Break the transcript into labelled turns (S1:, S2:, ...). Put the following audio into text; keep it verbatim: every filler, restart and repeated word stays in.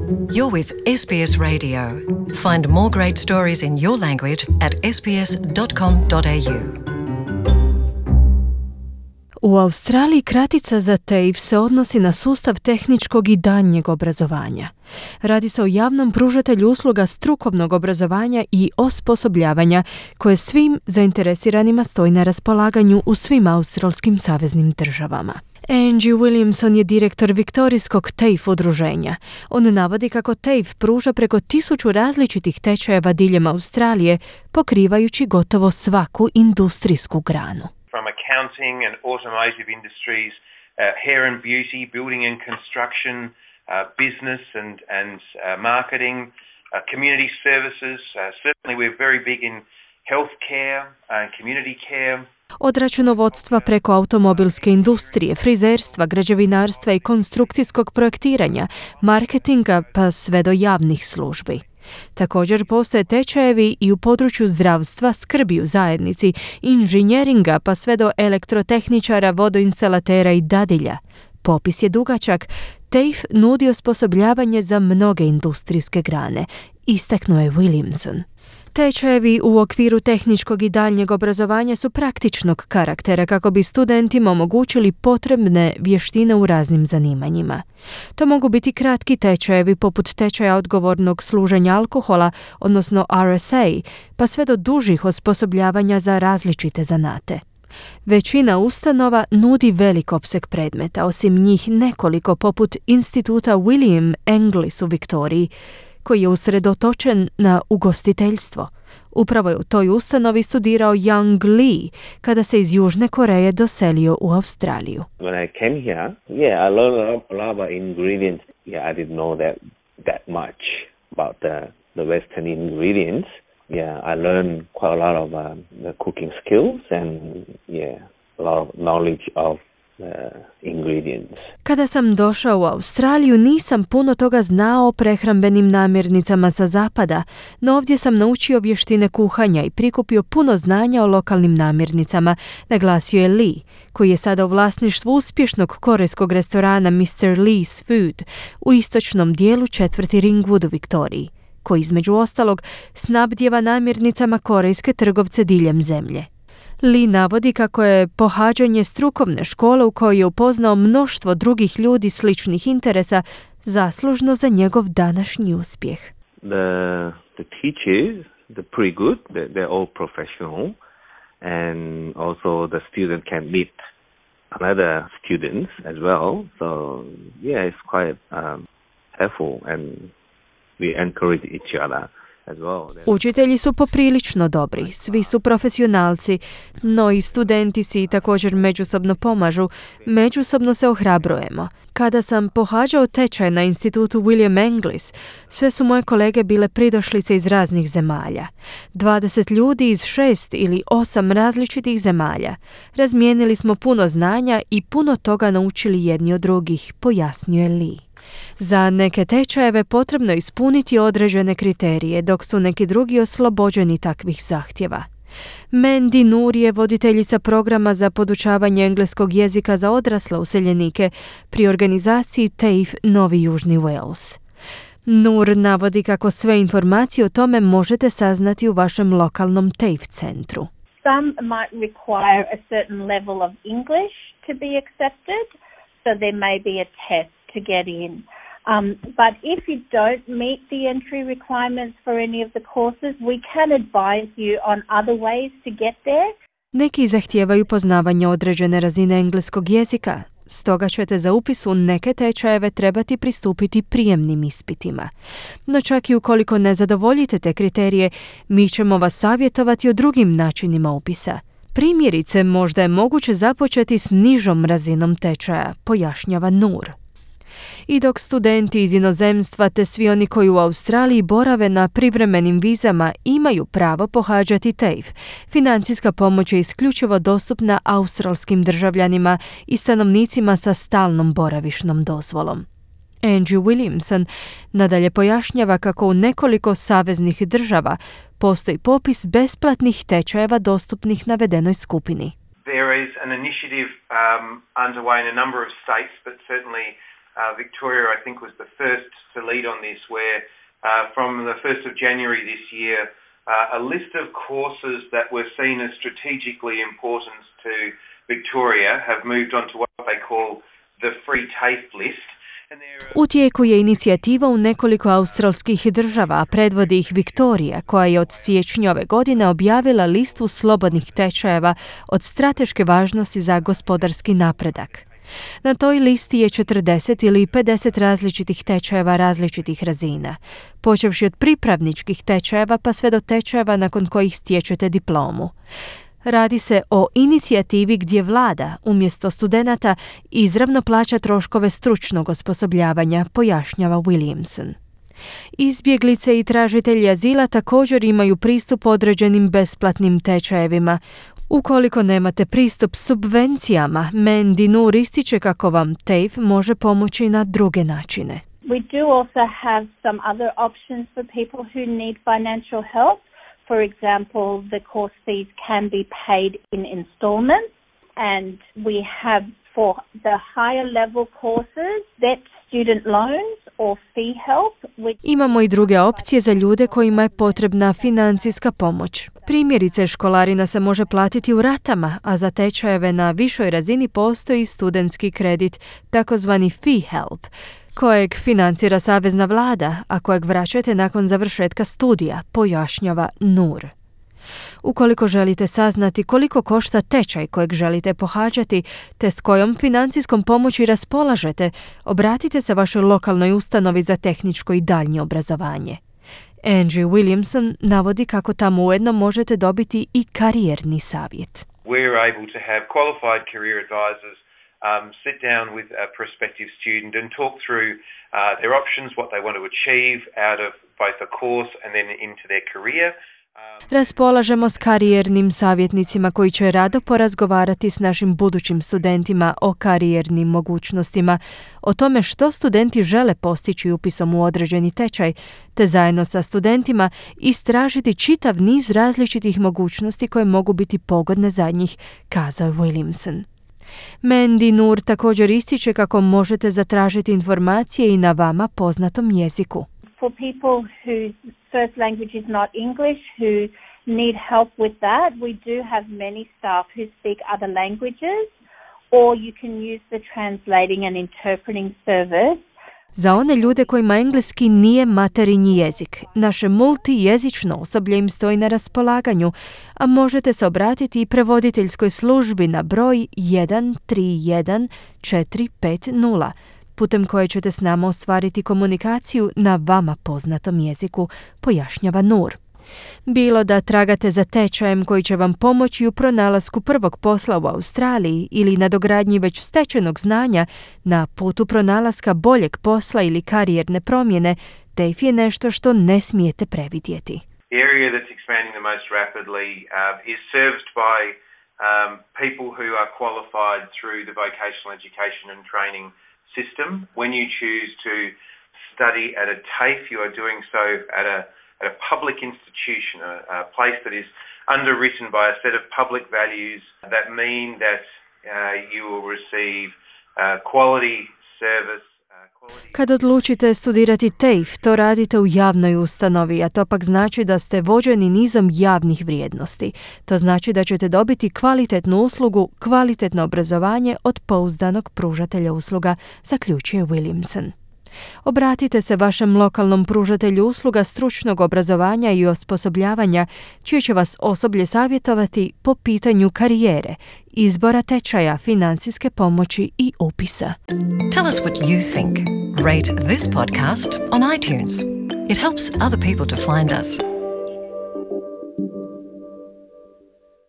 S1: You're with S B S Radio. Find more great stories in your language at s b s dot com dot a u.
S2: U Australiji kratica za T A F E se odnosi na sustav tehničkog i daljnjeg obrazovanja. Radi se o javnom pružatelju usluga strukovnog obrazovanja i osposobljavanja koje svim zainteresiranima stoji na raspolaganju u svim australskim saveznim državama. Angie Williamson je direktor viktorijskog T A F E udruženja. On navodi kako T A F E pruža preko tisuću različitih tečajeva diljem Australije, pokrivajući gotovo svaku industrijsku granu.
S3: From accounting and automotive industries, uh, hair and beauty, building and construction, uh, business and, and uh, marketing, uh, community services. Uh, certainly we're very big in healthcare and uh, community care.
S2: Od računovodstva preko automobilske industrije, frizerstva, građevinarstva i konstrukcijskog projektiranja, marketinga pa sve do javnih službi. Također postoje tečajevi i u području zdravstva, skrbi u zajednici, inženjeringa pa sve do elektrotehničara, vodoinstalatera i dadilja. Popis je dugačak. T A F E nudi osposobljavanje za mnoge industrijske grane, istaknuo je Williamson. Tečajevi u okviru tehničkog i daljnjeg obrazovanja su praktičnog karaktera kako bi studentima omogućili potrebne vještine u raznim zanimanjima. To mogu biti kratki tečajevi poput tečaja odgovornog služenja alkohola, odnosno R S A, pa sve do dužih osposobljavanja za različite zanate. Većina ustanova nudi velik opseg predmeta, osim njih nekoliko poput instituta William Englis u Viktoriji, koji je usredotočen na ugostiteljstvo. Upravo je u toj ustanovi studirao Young Lee kada se iz Južne Koreje doselio u Australiju.
S4: When I came here, yeah, I learned a lot about ingredients. Yeah, I didn't know that that much about the the Western ingredients. Yeah, I learned quite a lot of um, the cooking skills and yeah, a lot of knowledge of Uh, ingredients.
S2: Kada sam došao u Australiju, nisam puno toga znao o prehrambenim namirnicama sa zapada, no ovdje sam naučio vještine kuhanja i prikupio puno znanja o lokalnim namirnicama, naglasio je Lee, koji je sada u vlasništvu uspješnog korejskog restorana mister Lee's Food u istočnom dijelu četvrti Ringwood u Viktoriji, koji između ostalog snabdijeva namirnicama korejske trgovce diljem zemlje. Lee navodi kako je pohađanje strukovne škole u kojoj je upoznao mnoštvo drugih ljudi sličnih interesa zaslužno za njegov današnji uspjeh.
S4: The, the teachers, they're pretty good, they're, they're all professional and also the student can meet other students as well. So yeah, it's quite um, helpful and we encourage each other.
S2: Učitelji su poprilično dobri, svi su profesionalci, no i studenti si također međusobno pomažu, međusobno se ohrabrujemo. Kada sam pohađao tečaj na institutu William Englis, sve su moje kolege bile pridošlice iz raznih zemalja. dvadeset ljudi iz šest ili osam različitih zemalja. Razmijenili smo puno znanja i puno toga naučili jedni od drugih, pojasnio je Lee. Za neke tečajeve potrebno je ispuniti određene kriterije, dok su neki drugi oslobođeni takvih zahtjeva. Mandy Nur je voditeljica programa za podučavanje engleskog jezika za odrasle useljenike pri organizaciji T A F E Novi Južni Wales. Nur navodi kako sve informacije o tome možete saznati u vašem lokalnom T A F E centru.
S5: Some might require a certain level of English to be accepted, so there may be a test to get in. Um, but if you don't meet the entry requirements for any of the courses, we can advise you on other ways to get there.
S2: Neki zahtijevaju poznavanje određene razine engleskog jezika, stoga ćete za upis u neke tečajeve trebati pristupiti prijemnim ispitima. No čak i ukoliko ne zadovoljite te kriterije, mi ćemo vas savjetovati o drugim načinima upisa. Primjerice, možda je moguće započeti s nižom razinom tečaja, pojašnjava Nur. I dok studenti iz inozemstva te svi oni koji u Australiji borave na privremenim vizama imaju pravo pohađati T A F E, financijska pomoć je isključivo dostupna australskim državljanima i stanovnicima sa stalnom boravišnom dozvolom. Angie Williamson nadalje pojašnjava kako u nekoliko saveznih država postoji popis besplatnih tečajeva dostupnih navedenoj skupini.
S3: There is an initiative um, underway in a number of states, but certainly uh, Victoria, I think, was the first to lead on this, where uh, from the first of January this year, uh, a list of courses that were seen as strategically important to Victoria have moved on to what they call the free TAFE list.
S2: U tijeku je inicijativa u nekoliko australskih država, a predvodi ih Viktorija, koja je od siječnja ove godine objavila listu slobodnih tečajeva od strateške važnosti za gospodarski napredak. Na toj listi je četrdeset ili pedeset različitih tečajeva različitih razina, počevši od pripravničkih tečajeva pa sve do tečajeva nakon kojih stječete diplomu. Radi se o inicijativi gdje vlada, umjesto studenata, izravno plaća troškove stručnog osposobljavanja, pojašnjava Williamson. Izbjeglice i tražitelji azila također imaju pristup određenim besplatnim tečajevima. Ukoliko nemate pristup subvencijama, Mandy Noor ističe kako vam TAFE može pomoći na druge načine.
S5: We do also have some other options for people who need financial help. For example, the course fees can be paid in installments, and we have for the higher level courses debt student loans or fee help. Which...
S2: Imamo i druge opcije za ljude kojima je potrebna financijska pomoć. Primjerice, školarina se može platiti u ratama, a za tečajeve na višoj razini postoji studentski kredit, takozvani fee help, kojeg financira savezna vlada, a kojeg vraćate nakon završetka studija, pojašnjava Noor. Ukoliko želite saznati koliko košta tečaj kojeg želite pohađati, te s kojom financijskom pomoći raspolažete, obratite se vašoj lokalnoj ustanovi za tehničko i daljnje obrazovanje. Angie Williamson navodi kako tamo ujedno možete dobiti i karijerni savjet.
S3: We're able to have qualified career advisors Um, sit down with a prospective student and talk through uh, their options, what they want to achieve out of both the course and then into their career.
S2: Raspolažemo s karijernim savjetnicima koji će rado porazgovarati s našim budućim studentima o karijernim mogućnostima, o tome što studenti žele postići upisom u određeni tečaj, te zajedno sa studentima istražiti čitav niz različitih mogućnosti koje mogu biti pogodne za njih, kazao je Williamson. Mandy Noor također ističe kako možete zatražiti informacije i na vama poznatom jeziku.
S5: For people whose first language is not English, who need help with that, we do have many staff who speak other languages, or you can use the translating and interpreting service.
S2: Za one ljude kojima engleski nije materinji jezik, naše multijezično osoblje im stoji na raspolaganju, a možete se obratiti i prevoditeljskoj službi na broj jedan tri jedan četiri pet nula, putem koje ćete s nama ostvariti komunikaciju na vama poznatom jeziku, pojašnjava Noor. Bilo da tragate za tečajem koji će vam pomoći u pronalasku prvog posla u Australiji ili nadogradnji već stečenog znanja na putu pronalaska boljeg posla ili karijerne promjene, TAFE je nešto što ne smijete previdjeti.
S3: The area that's expanding the most rapidly uh, is serviced by um, people who are qualified through the vocational education and training system. When you choose to study at a TAFE, you are doing so at a at a public institution, a, a place that is underwritten by a set of public values that mean that uh, you will receive uh, quality service.
S2: Kad odlučite studirati TAFE, to radite u javnoj ustanovi, a to pak znači da ste vođeni nizom javnih vrijednosti. To znači da ćete dobiti kvalitetnu uslugu, kvalitetno obrazovanje od pouzdanog pružatelja usluga, zaključuje Williamson. Obratite se vašem lokalnom pružatelju usluga stručnog obrazovanja i osposobljavanja, čije će vas osoblje savjetovati po pitanju karijere, izbora tečaja, financijske pomoći i upisa.
S1: Tell us what you think. Rate this podcast on iTunes. It helps other people to find us.